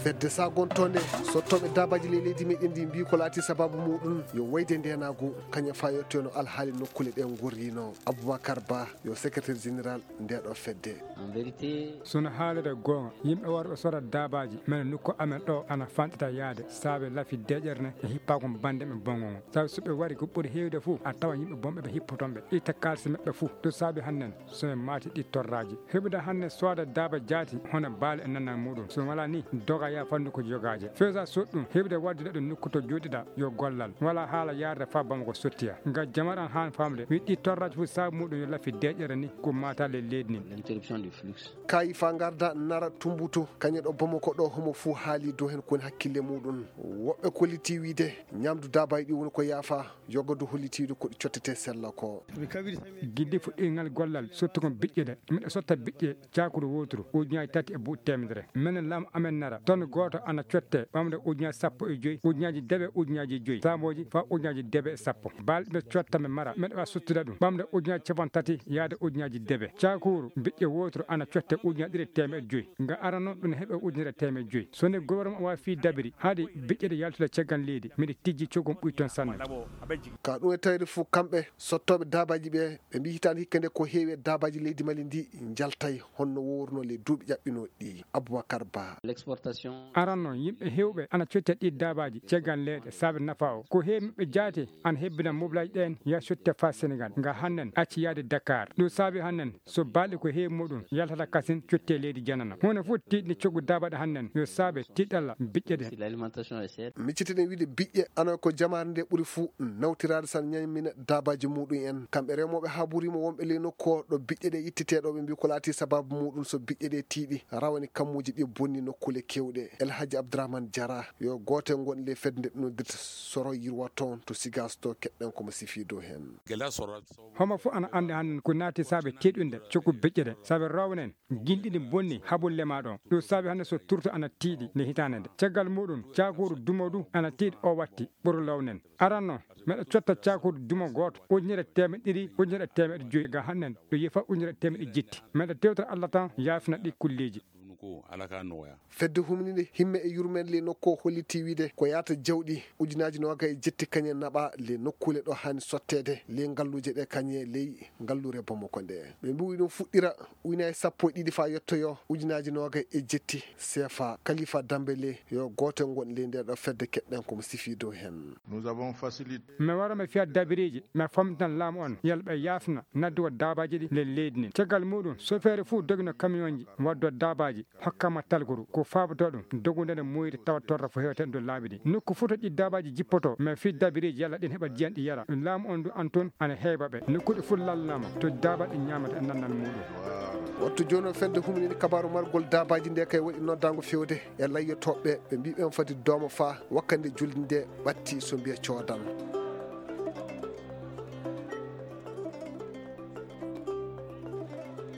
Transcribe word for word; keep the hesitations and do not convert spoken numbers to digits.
Fedde sagontonde sottooɓe daabaaji ley leydi meɗen ndi mbii ko laati sabaabu muɗum yo wayde ndeenaagu kañum faa yettoyno alhaali nokkuule ɗe ngorrino. Aboubacar Ba yo secrétaire général ndeeɗo fedde. Sono haalira goonga, yimɓe warɓe sora daabaaji mene nokku amen ɗo ana fanɗita yaade saabe lafi deƴere ne e hippagol bannde ɓe bongo ngo. Sabu so ɓe wari ko ɓuri heewde fof a tawa yimɓe bonɓe ɓe hippoton ɓe itta kaalisi maɓɓe fof. Ɗum saabi hannden so ɓe maati ɗi torraaji. Heɓude hannden sooda daaba jaati hono baali e nannal muɗum. So wala ni doga ya fannu ko jogaaje. Fewsa soɗ ɗum heɓude waddude ɗum nokku to jooɗiɗa yo gollal. Wala haala yaarde faa bama ko sottiya. Ngam jamaɗan haan famde wi ɗi torraaji fof saabu muɗum yo lafi deƴere ni ko maata le leydi ni. Kayi fa ngarda nara tumbuto kañe ɗo Bamako ɗo homo fuu haali dow heen koni hakkille muɗum. Woɓɓe kolliti wiide ñamdu daabaaji ɗi woni ko yaafa. Yogodu hollitiiɗo ko ɗi cottete sella ko. Giddi fuɗɗingal gollal sottu kon biƴƴe ɗe miɗo sotta biƴƴe cakuru woturu ujunaji tati e buuɗi temedere. Menen laamu amen nara ton gooto ana cotte ɓamde ujunaji sappo e joyi ujunaji debe ujunaji joyi samoji fa ujunaji debe e sappo. Balɗe ɓe cotta ɓe mara meɗa wa suttude ɗum ɓamde ujunaji capan tati yaade ujunaji debe. Cakuru biƴƴe woturu ana cotte ujunaji ɗiɗi e temeɗe joyi. Nga ara noon ɗum heɓe ujunere temeɗe joyi. So ni gouvernement wa fii dabiri haɗi biƴƴe ɗe yaltude caggal leydi miɗe tijji cogum ɓuy toon sanne. Ka ɗum e tawde fof kamɓe sottooɓe daabaaji ɓe ɓe mbii hitaande hikka nde ko heewi e daabaaji leydi Mali ndi njaltay honno wowruno ley duuɓi ƴaɓɓinooɗi ɗi. Aboubacar Ba. Aran noon yimɓe heewɓe ana cotta ɗi daabaaji caggal leyɗe saabe nafa o ko heewi maɓɓe jaati ana hebbina moblaaji ɗeen ya cotte faa Senegal nga hannen acci yaade Dakar. Ɗum saabi hannen so baalɗe ko heewi muɗum yaltata kasin cotte leydi janana hono fof tiiɗni coggu daabaɗe hannen yo saabe tiiɗalla biƴƴe ɗe. Miccitiɗen wiide biƴƴe ana ko jamaare nde ɓuri fuu nawtiraade san ñammina daabaaji muɗum en. Kamɓe remooɓe haa burima wonɓe ley nokku o ɗo biƴƴe ɗe ittitee ɗo ɓe mbii ko laati sabaabu muɗum so biƴƴe ɗe tiiɗi rawane kammuuji ɗi bonni nokkuule keewɗe. El Hadji Abdourahmane Diarra yo gooto e ngon ley fedde nde ɓe noddirta soro yirwa toon to Sigas to keɗɗen komo sifii dow heen. Homo fof ana anndi hannden ko naati saabe tiiɗunde coggu biƴƴe ɗe saabe rownen gilɗi ɗi bonni habulle ma ɗo. Ɗum saabi hannde so turto ana tiiɗi nde hitaande nde caggal muɗum cakuru dumo du ana tiiɗi o watti ɓuru lownen. Aranno meɗa cotta cakuru dumo gooto ujunere temeɗe ɗiɗi ujunere temeɗe joyi ga hannden ɗo yefa ujunere temeɗe jitti. Meɗa tewtata Allah tan yaafina ɗi kulleeji. Fedde humninde himme e yurmeende ley nokku o holliti wiide ko yaata jawɗi ujunaaji noogay e jetti kañe naɓa ley nokkuule ɗo haani sotteede ley ngalluuje ɗe kañe ley ngallure Bamako nde. Ɓe mbiwi ɗum fuɗɗira ujunaaji sappo e ɗiɗi faa yettoyo ujunaaji noogay e jetti seefa. Kalifa Dambele yo gooto ngon ley nde ɗo fedde keɗɗen komo sifii dow heen. Mi wara mi fiya dabireeji mi famtina laamu on yalla ɓe yaafna naddugo daabaaji ɗi ley leydi ndin. Caggal muɗum sofeere fuu dogino kamiyonji waddo daabaaji hokkama talkuru ko faaboto ɗum dogunde nde moyri tawa torra fo hewte ndo laabi ɗi nokku fuu to ɗi daabaaji jippoto mais fii dabireeji yalla ɗin heɓa diyan ɗi yara. Laamu on du an toon ana heewa ɓe nokkuɗe fuu lallama to daabaaji ɗi ñamata e nannal muɗum. Wattu jooni o fedde huminini kabaru margol daabaaji nde kay waɗi noddaango fewde e layyotooɓe ɓe mbii ɓen fati dooma faa wakkande julde nde ɓatti so mbiya coodan.